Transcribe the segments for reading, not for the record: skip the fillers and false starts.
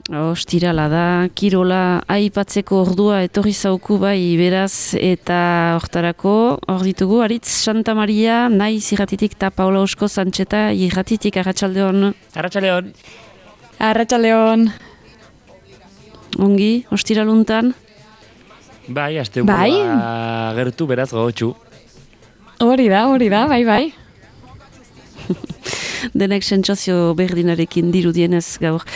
Ostirala da, kirola aipatzeko ordua etorri zauku bai beraz eta hortarako, hor ditugu, Aritz Santa Maria, naiz irratitik eta Paula Osko Santxeta irratitik, Arratsaldeon. Arratsaldeon. Arratsaldeon. Ongi, ostiraluntan? Bai, asteburua gertu beraz gogotsu. Hori da, bai. Denek sentsazio berdinarekin dirudienez gaur.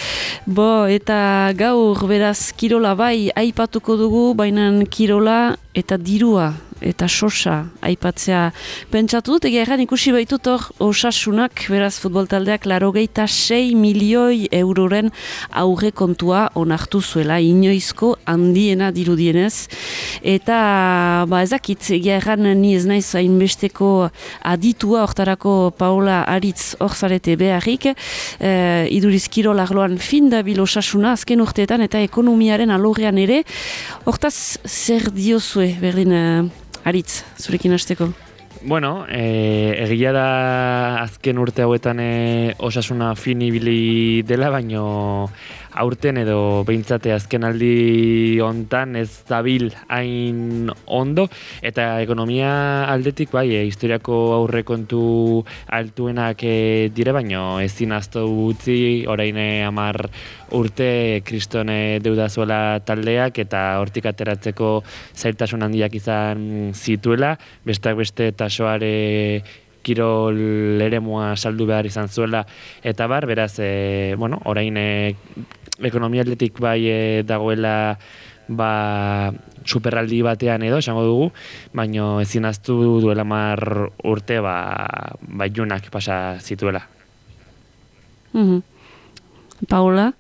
Eta gaur beraz kirola bai aipatuko dugu, baina kirola eta dirua eta sosa aipatzea pentsatu dut, egia erran ikusi baitut hor Osasunak, beraz futbol taldeak 86 milioi euroren aurre kontua onartu zuela, inoizko handiena dirudienez, eta ezakit, egia erran ni ez naiz hainbesteko aditua hortarako Paula Aritz hor zarete beharrik, iduriz kirol arloan fin dabil Osasuna azken urteetan eta ekonomiaren alorrean ere, hortaz zer diozue berdin Aritz, zurekin hasteko? Bueno, egia da azken urte hauetan Osasuna fin ibili dela, baino aurten edo behintzate azken aldi hontan ez dabil hain ondo, eta ekonomia aldetik bai, historiako aurrekontu altuenak dire, baino ezin ahaztu utzi orain 10 urte kriston deuda zuela taldeak eta hortik ateratzeko zailtasun handiak izan zituela, besteak beste tasoare kirol eremua saldu behar izan zuela, eta beraz, orain ekonomia aldetik bai dagoela superaldi batean edo, esango dugu, baino ezin ahaztu duela 10 urte baiunak pasa zituela. Paula?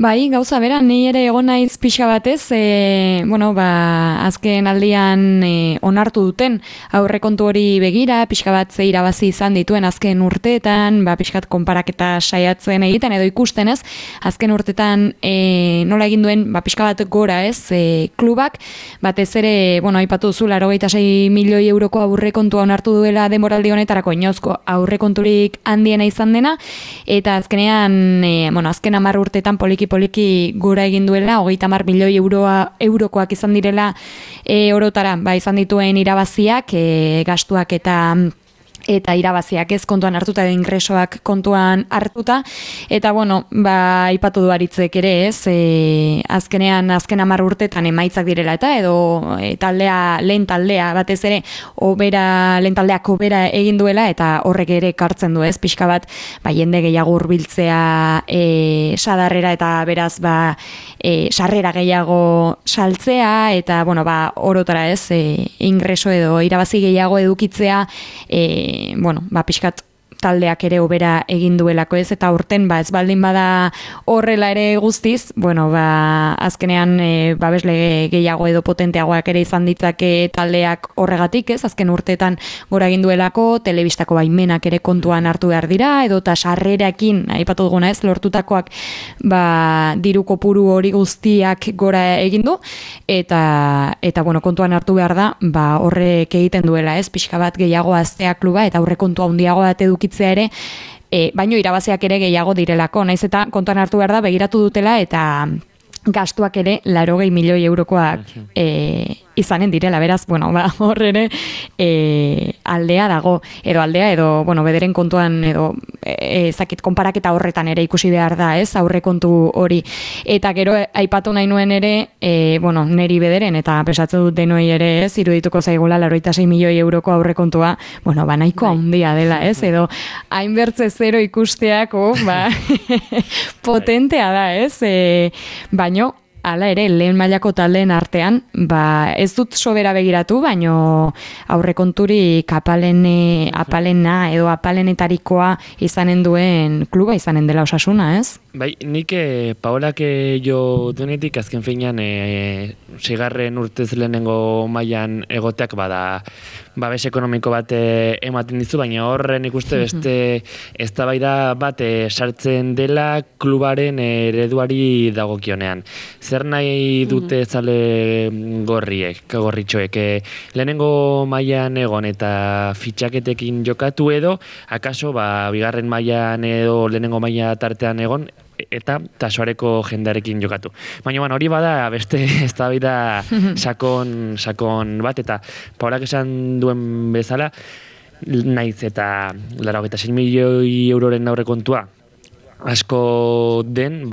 Bai, gauza bera, ni ere egon naiz pixa batez, azken aldian onartu duten aurrekontu hori begira, pixka bat ze irabazi izan dituen azken urteetan, pixkat konparaketa saiatzen egiten edo ikusten ez, azken urteetan nola egin duen, pixka bat gora ez, klubak, batez ere, aipatu zu, 86 milioi euroko aurrekontua onartu duela denboraldi honetarako inozko aurrekonturik handiena izan dena, eta azkenean, azken 10 urteetan poliki gora egin duela, 30 milioi eurokoak izan direla orotara, izan dituen irabaziak, gastuak eta irabaziak ez kontuan hartuta edo ingresoak kontuan hartuta, eta aipatu du Aritzek ere ez, azken 10 urtetan emaitzak direla eta edo lehen taldea batez ere lehen taldeak obera egin duela eta horrek ere kartzen du ez, pixka bat jende gehiago hurbiltzea sadarrera eta beraz sarrera gehiago saltzea eta orotara ez, ingreso edo irabazi gehiago edukitzea pixkat taldeak ere obera egin duelako ez, eta urten ez baldin bada horrela ere guztiz, azkenean babesle gehiago edo potenteagoak ere izan ditzake taldeak horregatik ez, azken urteetan gora egin duelako, telebistako baimenak ere kontuan hartu behar dira, edo eta sarrerakin, aipatu duguna ez, lortutakoak diru kopuru hori guztiak gora egin du, eta kontuan hartu behar da, horrek egiten duela ez, pixka bat gehiago aztea kluba, eta horre kontua handiago bat edukitzea ere, baino irabaziak ere gehiago direlako, naiz eta kontuan hartu behar da, begiratu dutela eta gastuak ere 80 milioi eurokoak izanen direla, beraz, hor ere aldea dago, edo bederen kontuan, edo konparaketa horretan ere ikusi behar da, ez, aurrekontu hori, eta gero aipatu nahi nuen ere, neri bederen, eta pesatzen dut denoi ere, ez, irudituko zaigula 86 milioi euroko aurrekontua, nahiko handia dela, ez, edo hainbertze zero ikusteako, potentea da, ez, baino, hala ere, lehen mailako taldeen artean, ez dut sobera begiratu, baino aurrekonturik apalena edo apalenetarikoa izanen duen kluba izanen dela Osasuna, ez? Bai, nik Paolak jo duenetik azken finean 6. urtez lehenengo mailan egoteak babes ekonomiko bat ematen dizu, baina horren ikuste beste eztabaida bat sartzen dela klubaren ereduari dagokionean. Zer nahi dute zale gorritxoek? Lehenengo mailan egon eta fitxaketekin jokatu edo, akaso bigarren mailan edo lehenengo maila tartean egon, eta tasoareko jendearekin jokatu. Baina hori bada beste eztabaida sakon bat, eta Paulak esan duen bezala, naiz eta 86 milioi euroren aurrekontua asko den,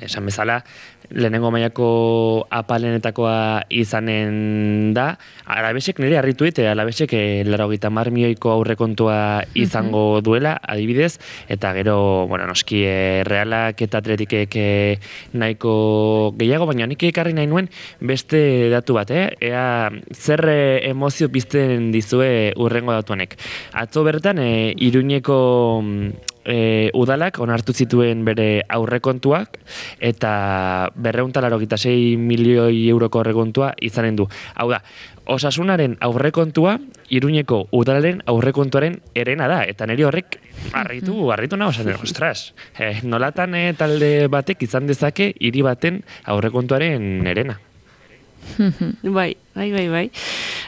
esan bezala, lehenengo mailako apalenetakoa izanen da. Alabesek nire harritu dite, Alabesek 90 milioiko aurrekontua izango duela, adibidez, eta gero, noski Realak eta Atletikek nahiko gehiago, baina nik ekarri nahi nuen beste datu bat, ea zer emozio pizten dizue urrengo datuanek. Atzo bertan, Iruñeko udalak onartu zituen bere aurrekontuak, eta 286 milioi euroko aurrekontua izanen du. Hau da, Osasunaren aurrekontua Iruñeko udalaren aurrekontuaren erena da, eta niri horrek harritu nago, ostras, nolatan talde batek izan dezake hiri baten aurrekontuaren erena. Bai.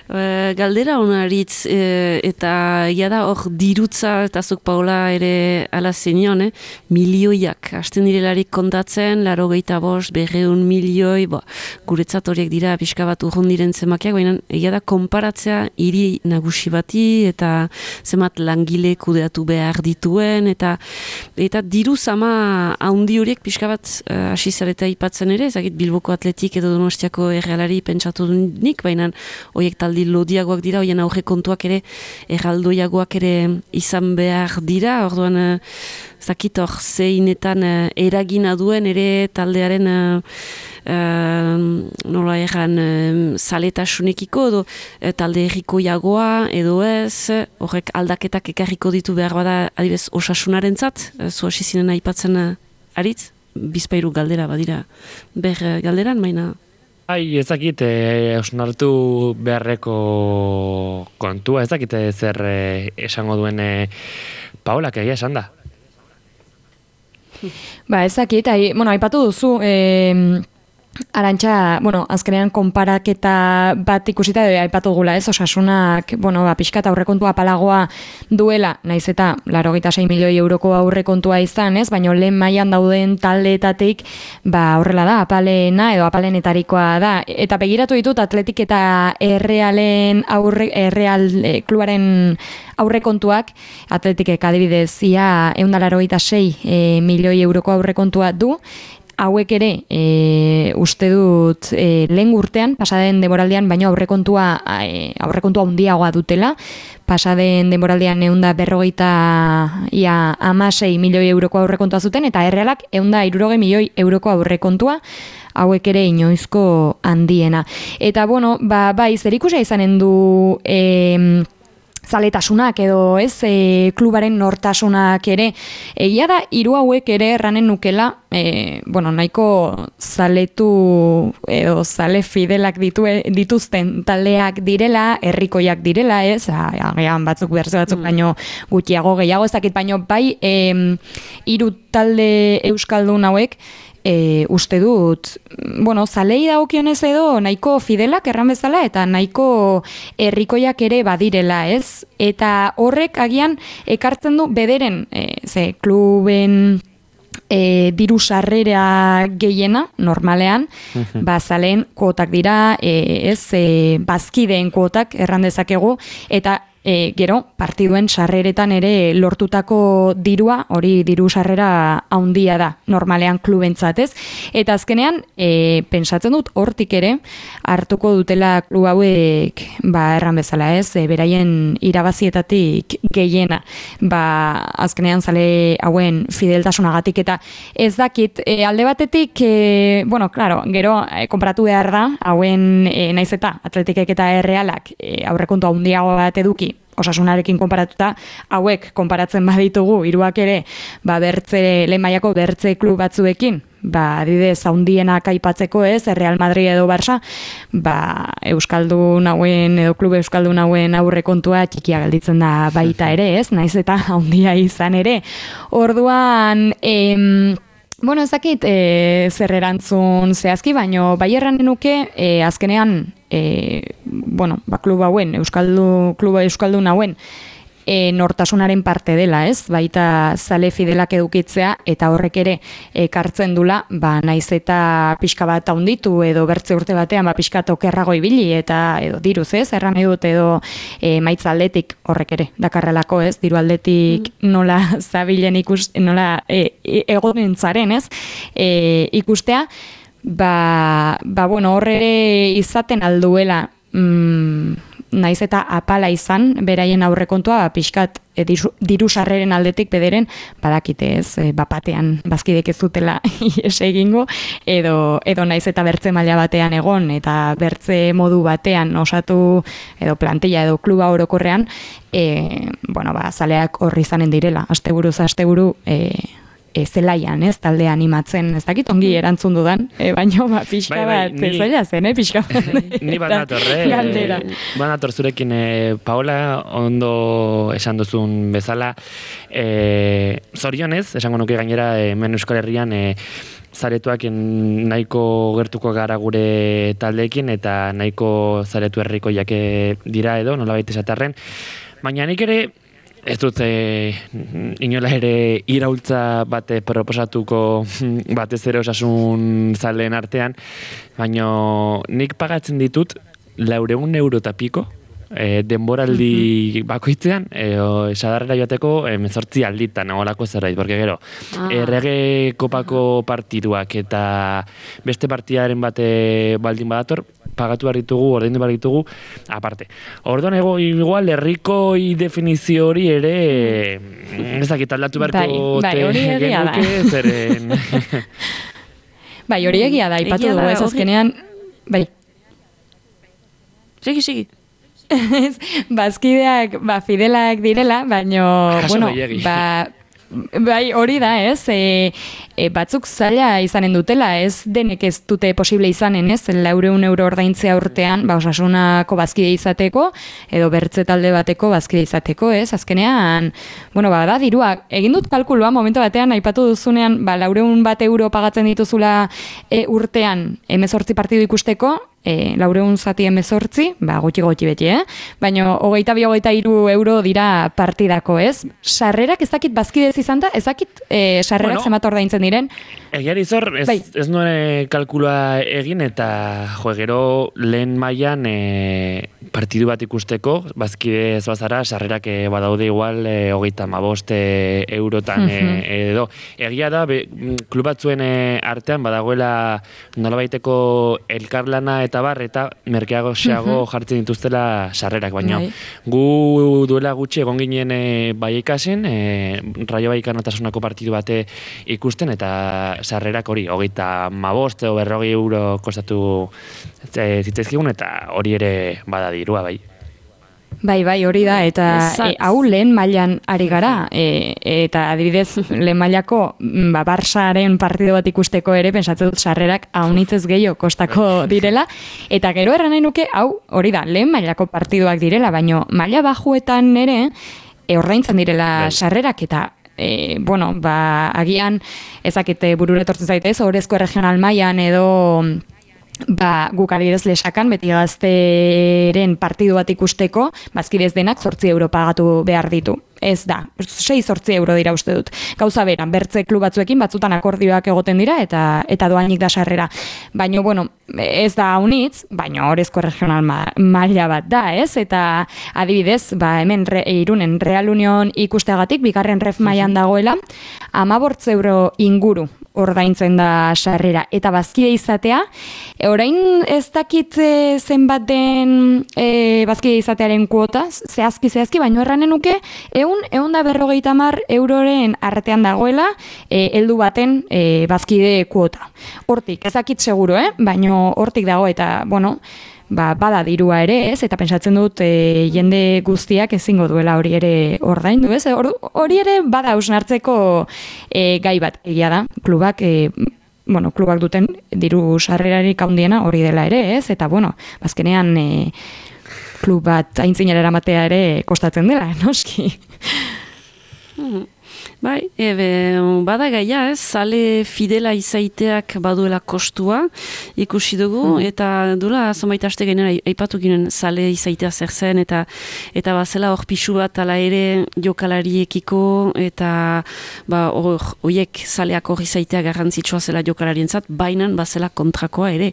Galdera honaritz, eta da hor dirutza, eta zuk Paula ere ala zenion, milioiak, hasten direlarik kontatzen, 85, 200 milioi, guretzat horiek dira pixka bat urrundiren zemakiak, baina da konparatzea hiri nagusi bati, eta zemat langile kudeatu behar dituen, eta diru zama haundi horiek pixka bat hasi zareta ipatzen ere, ezagit Bilboko Atletik edo Donostiako errealari pentsatu nik, baina horiek taldi lodiagoak dira, horien aurrekontuak ere erraldoiagoak ere izan behar dira, orduan zakit hor zeinetan eragina duen ere taldearen nola erran zaletasunekiko edo talde errikoiagoa edo ez, horrek aldaketak ekarriko ditu behar bada adibez Osasunaren zat, zu hasi zinen aipatzen aritz, bizpairu galdera badira ber galderan, baina ezakit osnartu beharreko kontua, ezakit zer esango duen Paulak egia esan da. Ezakit, aipatu duzu, Arantxa, azkenean konparaketa bat ikusita aipatu gula, Osasunak, pixkat aurrekontua apalagoa duela, naiz eta 86 milioi euroko aurrekontua izan, baina lehen mailan dauden taldeetatik, horrela da, apalena edo apalenetarikoa da. Eta begiratu ditut Atletik eta Errealen klubaren aurrekontuak, Atletikek adibidez, ia 186 milioi euroko aurrekontua du, hauek ere, uste dut, lehen urtean, pasaden denboraldean, baino aurrekontua handiagoa dutela, pasaden denboraldean 156 milioi euroko aurrekontua zuten, eta Errealak 160 milioi euroko aurrekontua, hauek ere inoizko handiena. Eta, zerikusia izanen du zaletasunak edo klubaren nortasunak ere. Egia da, hiru hauek ere erranen nukela, nahiko zaletu edo zale fidelak dituzten taldeak direla, herrikoiak direla, agian batzuk berze batzuk baino gutxiago gehiago, ez dakit baino bai hiru talde euskaldun hauek, uste dut, zalei dagokionez edo nahiko fidelak erran bezala eta nahiko herrikoiak ere badirela, ez? Eta horrek agian ekartzen du bederen, kluben diru sarrera gehiena, normalean, zaleen kuotak dira, bazkideen kuotak erran dezakegu, eta gero, partiduen sarreretan ere lortutako dirua, hori diru sarrera handia da, normalean klubentzat, ez? Eta azkenean, pentsatzen dut, hortik ere, hartuko dutela klub hauek, erran bezala, ez? Beraien irabazietatik gehiena, azkenean zale hauen fideltasunagatik, eta ez dakit, alde batetik, gero, konparatu behar da, hauen naiz eta Atletikek eta Errealak aurrekontu handiago bat eduki, Osasunarekin konparatuta, hauek konparatzen baditugu, hiruak ere, lehen mailako bertze klub batzuekin, adibidez handienak aipatzeko ez, Real Madrid edo Barça, euskaldun hauen edo klub euskaldun hauen aurrekontua txikia gelditzen da baita ere, ez, naiz eta handia izan ere. Orduan, ez dakit zer erantzun zehazki, baino bai erran nuke azkenean klub hauen, kluba euskaldun hauen nortasunaren parte dela, ez? Baita zale fidelak edukitzea, eta horrek ere ekartzen dula, naiz eta pixka bat haunditu edo bertze urte batean pixka tokerrago ibili eta edo diruz, ez? Erran edut edo maitza aldetik horrek ere dakarrelako, ez? Diru aldetik nola zabilen nola egonentzaren, ez? Ikustea, bueno, horre ere izaten alduela naiz eta apala izan, beraien aurrekontua pixkat diru sarreren aldetik bederen, badakite ez, bapatean bazkidek ez dutela ies egingo, edo naiz eta bertze maila batean egon, eta bertze modu batean osatu, edo plantilla, edo kluba orokorrean, bueno, zaleak horri izanen direla, asteburuz asteburu, zelaian, ez, talde animatzen, ez dakit ongi erantzun dudan, baina pixka bat, zaila zen, pixka bat. Ni banator zurekin, Paola, ondo esan duzun bezala, zorionez, esango nuke gainera, hemen Euskal Herrian, zaretuak nahiko gertuko gara gure taldeekin, eta nahiko zaretu herriko jake dira edo, nolabait esatarren, baina nik ere, ez dut inola ere iraultza bate proposatuko batez ere osasun zaleen artean, baina nik pagatzen ditut 400 euro eta piko denboraldi bakoitzean, sadarrera joateko 18 alditan, olako zerbait, porque gero, errege kopako partiduak eta beste partidaren bate baldin badator, pagatu behar ditugu, ordaindu behar ditugu, aparte. Orduan igual, herrikoi definizio hori ere, ez dakit aldatu beharko genuke, zeren... Bai, hori egia da, ipatu dugu ez azkenean, bai. Segi. Bazkideak, fidelak direla, baina, bueno, bai, hori da, ez, batzuk zaila izanen dutela, ez denek ez dute posible izanen, ez, 400 euro ordaintzea urtean, osasunako bazkide izateko, edo bertze talde bateko bazkide izateko, ez, azkenean, bueno, da, dirua, egin dut kalkulua, momentu batean, aipatu duzunean, 400 euro pagatzen dituzula urtean, 18 partidu ikusteko, 400 zati 18, gutxi beti, baina 22-23 euro dira partidako, ez? Sarrerak ez dakit bazkidez izan da, ez dakit sarrerak zemat ordaintzen diren. Egiari zor, ez nuen kalkulua egin, eta gero lehen mailan partidu bat ikusteko, bazkidez bazara, sarrerak badaude igual 35 eurotan edo. Egia da, klub batzuen artean badagoela nolabaiteko elkarlana eta bar, eta merkeago xeago jartzen dituztela sarrerak, baina gu duela gutxi egon ginen Baikasen, Rayo Vallecano Osasunako partidu bate ikusten, eta sarrerak hori, 35 edo 40 euro kostatu zitzaizkigun, eta hori ere bada dirua, bai. Bai, hori da, eta hau lehen mailan ari gara, eta adibidez lehen mailako Barsaren partido bat ikusteko ere, pentsatzen dut sarrerak haunitzez gehiago kostako direla, eta gero erran nahi nuke, hau hori da, lehen mailako partiduak direla, baina maila bajuetan ere, ordaintzen direla sarrerak, eta bueno, agian ezakite burura etortzen zaitez, orezko regional mailan edo guk adibidez Lesakan beti gazteren partidu bat ikusteko, bazkidez denak 8 euro pagatu behar ditu. Ez da, 6-8 euro dira uste dut. Gauza beran, bertze klub batzuekin batzutan akordioak egoten dira eta doainik da sarrera. Baina, bueno, ez da haunitz, baina orezko regional maila bat da, ez? Eta adibidez, hemen Irunen Real Union ikusteagatik, bigarren ref mailan dagoela, 15 euro inguru ordaintzen da sarrera. Eta bazkide izatea, orain ez dakit zenbat den bazkide izatearen kuota, zehazki, baina erranen nuke, 150 euroren artean dagoela, heldu baten bazkide kuota. Hortik, ez dakit seguro, baina hortik dago, eta, bueno, bada dirua ere, ez, eta pentsatzen dut jende guztiak ezingo duela hori ere ordaindu, ez, hori ere bada hausnartzeko gai bat, egia da, klubak duten diru sarrerarik handiena hori dela ere, ez, eta, bueno, bazkenean klub bat aintzinera eramatea ere kostatzen dela, noski. Bai, bada gaia, zale fidela izaiteak baduela kostua ikusi dugu, eta duela zonbait aste gainera aipatu ginen zale izaitea zer zen, eta bazela hor pixu bat ala ere jokalariekiko, eta horiek zaleak hor izaitea garrantzitsua zela jokalarientzat, bainan bazela kontrakoa ere,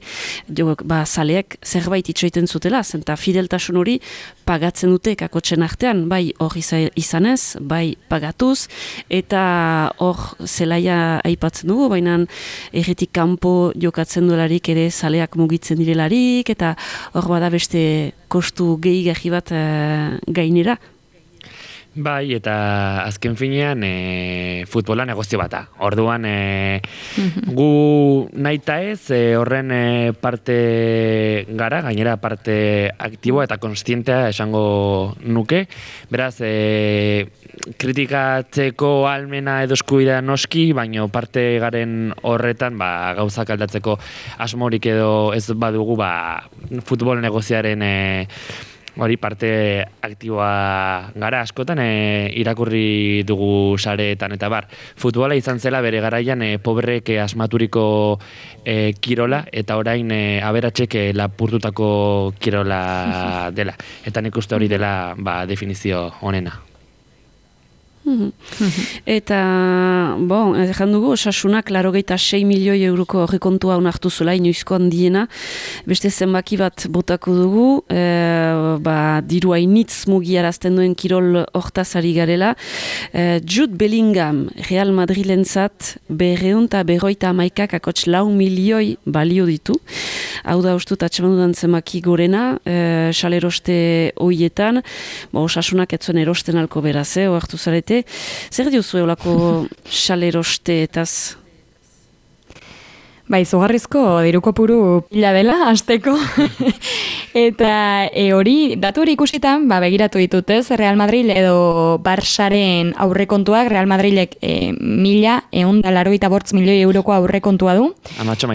zaleak zerbait itxoiten zutela, zenta fideltasun hori pagatzen dute kakotxen artean, bai hor izanez, bai pagatuz, eta hor zelaia aipatzen dugu, baina erretik kanpo jokatzen duelarik ere zaleak mugitzen direlarik, eta hor bada beste kostu gehigarri bat gainera. Bai, eta azken finean futbola negozio bata. Orduan gu nahita ez horren parte gara, gainera parte aktiboa eta konstientea esango nuke. Beraz, kritikatzeko almena edo eskubidea noski, baino parte garen horretan gauzak aldatzeko asmorik edo ez badugu futbol negoziaren hori parte aktiboa gara askotan irakurri dugu sareetan eta futbola izan zela bere garaian pobrek asmaturiko kirola eta orain aberatsek lapurtutako kirola dela. Eta nik uste hori dela definizio honena. Eta, ezan dugu, Osasunak 86 milioi euroko horrekontua onartu zela, inoizko handiena, beste zenbaki bat botako dugu, diru hainitz mugiarazten duen kirol hortaz ari garela. Jude Bellingham, Real Madrilentzat, 250 akots 4 milioi balio ditu. Hau da, ustut, atxemandudan zenbaki gorena, saleroste hoietan, Osasunak etzuen erosten alko beraz, oartu zarete. Zer diozu eolako salerosteetaz? Izugarrizko diruko puru pila dela, hasteko. Eta hori, datu hori ikusitan, begiratu ditutez, Real Madrid edo Barsaren aurrekontuak, Real Madridek 1.185 milioi euroko aurrekontua du.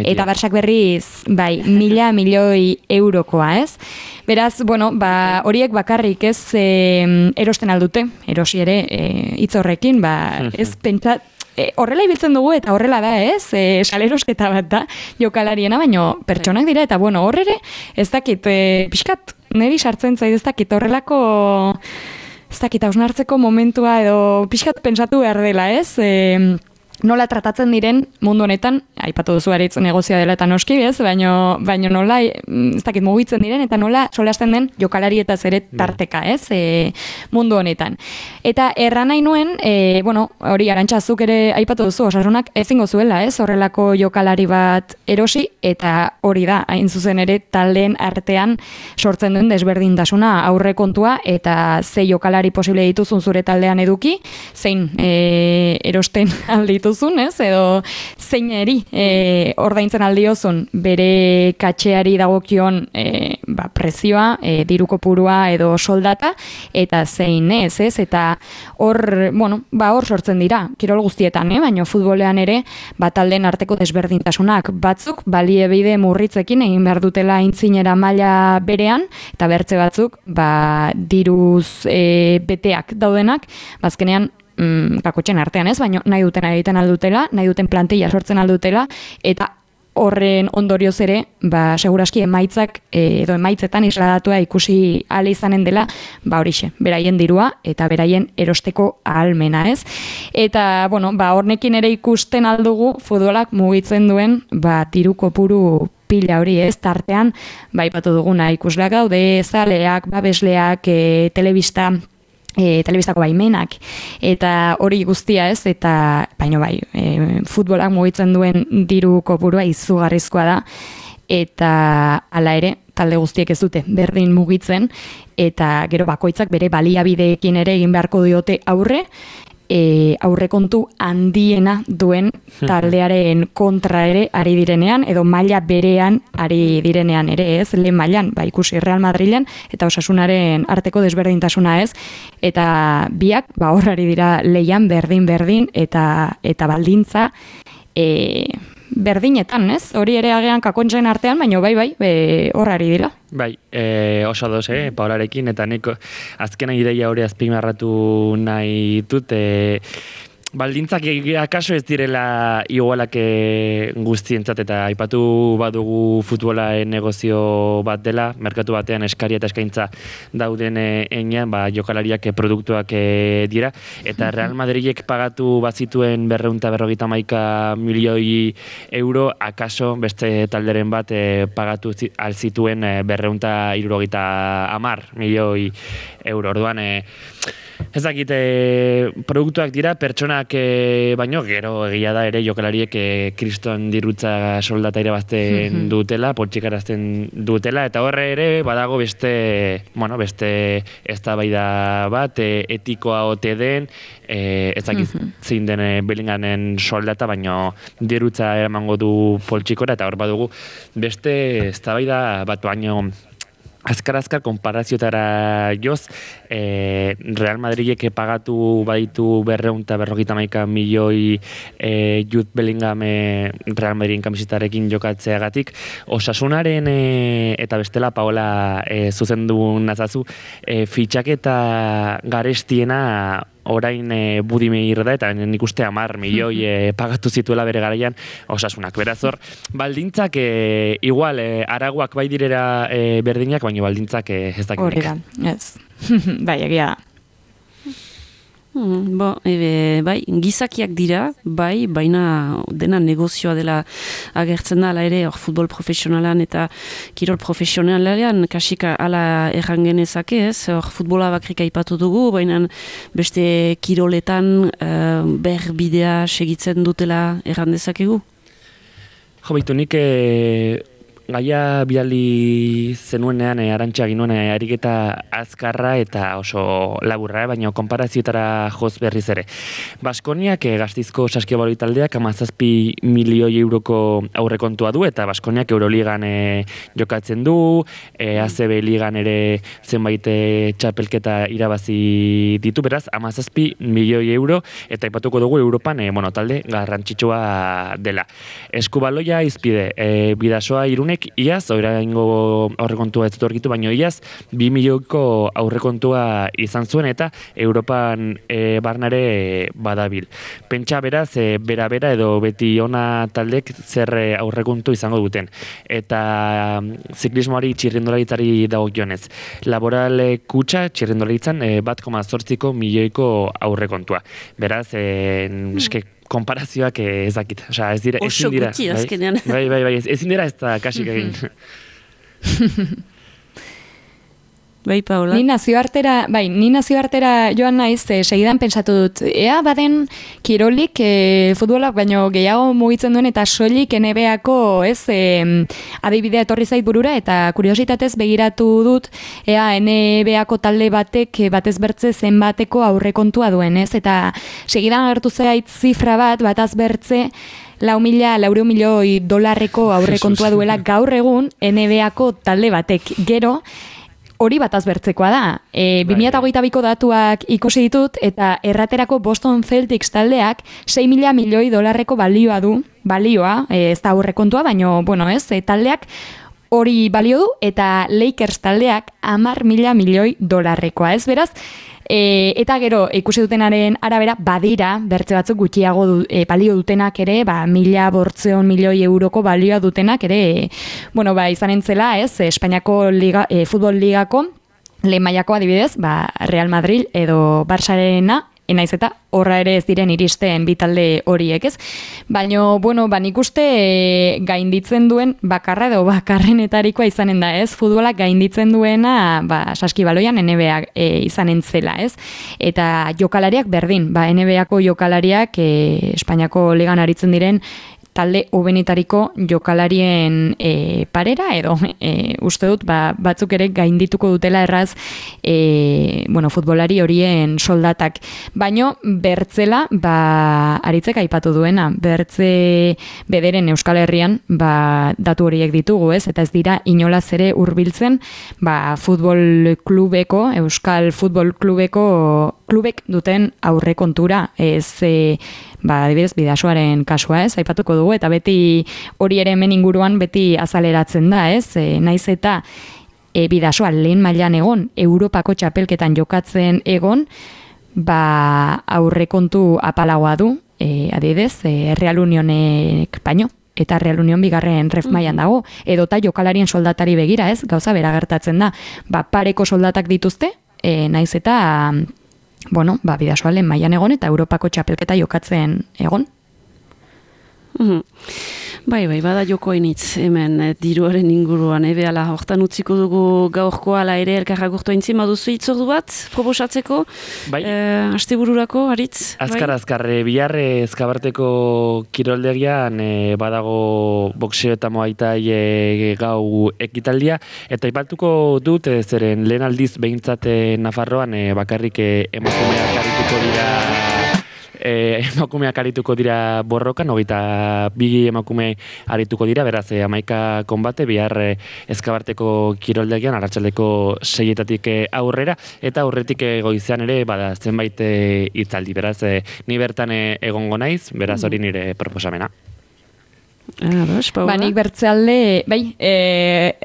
Eta Barsak berriz, 1.000 milioi eurokoa, ez? Beraz, horiek bakarrik ez erosten aldute, erosi ere hitz horrekin, ez pentsat, horrela ibiltzen dugu eta horrela da, ez? Salerosketa bat da jokalariena, baino pertsonak dira eta hor ere ez dakit pixkat niri sartzen zait ez dakit horrelako ez dakit hausnartzeko momentua edo pixkat pentsatu behar dela, ez? Nola tratatzen diren mundu honetan, aipatu duzu aritz negozioa dela eta noski, ez? Baino nola, ez dakit mugitzen diren, eta nola solasten den jokalari eta zeret tarteka, ez? Mundu honetan. Eta erran nahi nuen, hori Arantxazuk ere aipatu duzu, Osasunak ezingo zuela, ez? Horrelako jokalari bat erosi, eta hori da, hain zuzen ere taldeen artean sortzen duen desberdintasuna aurrekontua, eta ze jokalari posible dituzun zure taldean eduki, zein erosten alditu ez? Edo zeineri ordaintzen aldiozun bere katxeari dagokion prezioa, diruko purua edo soldata, eta zein ez? Eta hor sortzen dira, kirol guztietan, baina futbolean ere talden arteko desberdintasunak batzuk baliebide murritzekin egin behar dutela aintzinera maila berean, eta bertze batzuk diruz beteak daudenak, bazkenean kakotxen artean ez, baina nahi duten egiten aldutela, nahi duten plantilla sortzen aldutela, eta horren ondorioz ere, seguraski emaitzak edo emaitzetan isladatua ikusi ahal izanen dela, horixe, beraien dirua eta beraien erosteko ahalmena, ez? Eta, hornekin ere ikusten aldugu futbolak mugitzen duen, diru kopuru pila hori, ez? Tartean, ipatu duguna ikusleak daude, zaleak, babesleak, telebistako baimenak, eta hori guztia, ez? Eta, futbolak mugitzen duen diru kopurua izugarrizkoa da, eta hala ere, talde guztiek ez dute berdin mugitzen, eta gero bakoitzak bere baliabideekin ere egin beharko diote aurrekontu handiena duen taldearen kontra ere ari direnean, edo maila berean ari direnean ere, ez? Lehen mailan, ikusi Real Madrilen eta Osasunaren arteko desberdintasuna, ez? Eta biak, hor ari dira leian berdin, eta baldintza berdinetan, ez? Hori ere agean kakontzen artean, baina hor ari dira. Oso doz, Paularekin, eta nik azkena ideia hori azpimarratu nahi dut, baldintzak akaso ez direla igualak guztientzat, eta aipatu badugu futbola negozio bat dela, merkatu batean eskaria eta eskaintza dauden enean, jokalariak produktuak dira, eta Real Madridek pagatu bazituen 251 milioi euro, akaso beste talderen bat pagatu alzituen 270 milioi euro. Orduan, ez dakit, produktuak dira, pertsonak baino, gero egia da ere jokalariek kriston dirutza soldata irabazten dutela, poltsikarazten dutela, eta horre ere badago beste eztabaida bat, etikoa ote den, ez dakit zein den Bellingamen soldata, baino dirutza eramango du poltsikora, eta hor badugu beste eztabaida bat, baino azkar konparazioetara joz, Real Madridek pagatu baditu 251 milioi Jude Bellingham Real Madridin kamisetarekin jokatzeagatik, Osasunaren eta bestela Paola zuzendu nazazu, fitxaketa garestiena orain Budimir da, eta nik uste 10 milioi pagatu zituela bere garaian Osasunak. Beraz hor, baldintzak igual araguak bai direra berdinak, baina baldintzak ez dakinek. Horri da, ez. Bai, egia da. Bai, gizakiak dira, bai, baina dena negozioa dela agertzen da, ala ere, futbol profesionalan eta kirol profesionalean, kasika ala erran genezake, ez, futbola bakrik aipatu dugu, baina beste kiroletan berbidea segitzen dutela erran dezakegu? Jo, baitu, nik gaia bidali zenuenean, Arantxa ginuen ariketa azkarra eta oso laburra, baina konparazioetara joz berriz ere. Baskoniak Gasteizko Saskibaloi taldeak 17 milioi euroko aurrekontua du, eta Baskoniak Euroligan jokatzen du, ACB ligan ere zenbait txapelketa irabazi ditu, beraz 17 milioi euro, eta aipatuko dugu Europan talde garrantzitsua dela. Eskubaloia izpide, Bidasoa Irunek iaz, oraingo aurrekontua ez dut argitu, baina iaz 2 milioiko aurrekontua izan zuen, eta Europan barnare badabil. Pentsa beraz, bera edo beti ona taldek zer aurrekontu izango duten. Eta ziklismoari txirrindularitzari dagokionez. Laboral kutxa txirrindularitzan 1,8 milioiko aurrekontua. Beraz, konparazioak ez dakit. Ez dira, oso gutxi azkenean. Bai, ezin dira ez da kasik egin. Bai, Paola? Ni nazioartera joan naiz, segidan pentsatu dut, ea baden kirolik futbolak baino gehiago mugitzen duen eta soilik NBA-ko adibidea etorri zait burura, eta kuriositatez begiratu dut, ea NBA-ko talde batek batez bertze zenbateko aurrekontua duen, ez? Eta segidan agertu zait zifra bataz bertze 400 milioi dolarreko aurrekontua duela gaur egun NBA-ko talde batek. Gero, hori bataz bertzekoa da. 2022ko datuak ikusi ditut, eta erraterako Boston Celtics taldeak 6.000 milioi dolarreko balioa, ez da aurrekontua, baino, taldeak hori balio du, eta Lakers taldeak 10.000 milioi dolarrekoa, ez beraz? Eta gero, ikusi dutenaren arabera, badira, bertze batzuk gutxiago balio dutenak ere, 1.800 milioi euroko balioa dutenak ere, izanen zela, ez, Espainiako futbol ligako, lehen mailako adibidez, Real Madrid edo Barçarena, naiz eta horra ere ez diren iristen bi talde horiek, ez? Baina, nik uste gainditzen duen bakarra edo bakarrenetarikoa izanen da, ez? Futbolak gainditzen duena, Saskibaloian NBA izanen zela, ez? Eta jokalariak berdin, NBA-ko jokalariak Espainiako ligan aritzen diren talde hobenetariko jokalarien parera, edo uste dut batzuk ere gaindituko dutela erraz futbolari horien soldatak. Baino bertzela aritzek aipatu duena, bertze bederen Euskal Herrian datu horiek ditugu, ez? Eta ez dira inolaz ere hurbiltzen futbol klubeko, Euskal Futbol klubek duten aurrekontura, ez adibidez Bidasoaren kasua, ez, aipatuko dugu, eta beti hori ere hemen inguruan beti azaleratzen da, ez, naiz eta Bidasoa lehen mailan egon, Europako txapelketan jokatzen egon, aurrekontu apalagoa du, adibidez, Real Unionek baino, eta Real Union bigarren ref mailan dago, edota jokalarien soldatari begira, ez? Gauza bera gertatzen da. Pareko soldatak dituzte, naiz eta, Bidasoa lehen mailan egon eta Europako txapelketa jokatzen egon. Bai, bada joko hainitz hemen diruaren inguruan, behala, hortan utziko dugu gaurkoa ala ere elkarra gurtu haintzin, baduzu itzordu bat, proposatzeko, astebururako, Aritz? Azkar, bihar Ezkabarteko kiroldegian badago boxeo eta moaitai gau ekitaldia, eta aipatuko dut, zeren lehen aldiz behintzat Nafarroan bakarrik emakumeak arituko dira emakumeak arituko dira borrokan, 22 emakume arituko dira, beraz 11 konbate, bihar Ezkabarteko kiroldegian, arratsaldeko 6-etatik aurrera, eta aurretik goizean ere, bada zenbait hitzaldi, beraz, ni bertan egongo naiz, beraz hori nire proposamena. Nik bertzealde,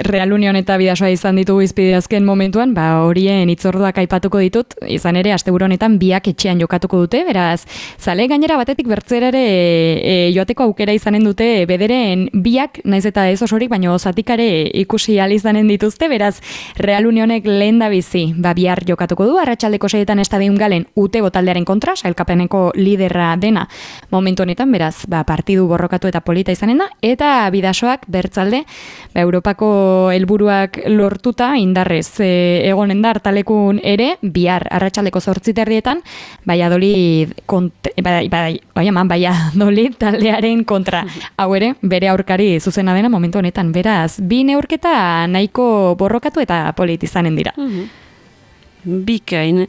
Real Union eta Bidasoa izan ditugu izpide azken momentuan, horien itzorduak aipatuko ditut, izan ere, asteburu honetan biak etxean jokatuko dute, beraz, zale gainera batetik bertzerare joateko aukera izanen dute, bederen biak, naiz eta ez osorik, baina zatikare ikusi alizanen dituzte, beraz, Real Unionek lehen da bizi, bihar jokatuko du, arratsaldeko 6etan Estadion Galen UTE taldearen kontra, sailkapeneko liderra dena momentu honetan, beraz, partidu borrokatu eta polita izanen da, eta Bidasoak bertzalde Europako helburuak lortuta indarrez egonen da hartalekun ere, bihar arratsaldeko 8:30 Valladolid taldearen kontra. Hau ere, bere aurkari zuzena dena momentu honetan, beraz, bi neurketa nahiko borrokatu eta polit izanen dira. Bikain.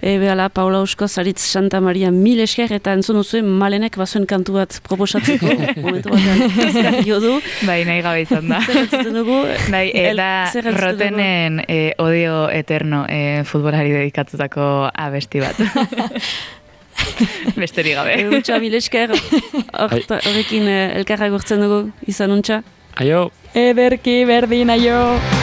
Behala, Paula Euskoz, Aritz Santa Maria, mil esker, eta entzun duzuen Malenek bazuen kantu bat proposatzeko. Momentu batean, ezkario du. Nahi gabe izan da. Zer entzuten dugu? Eta Rotenen Odio Eterno futbolari dedikatutako abesti bat. Besterik gabe. Untxa, mil esker. Horrekin elkarra gurtzen dugu, izan untxa. Aio. Ederki, berdin, aio.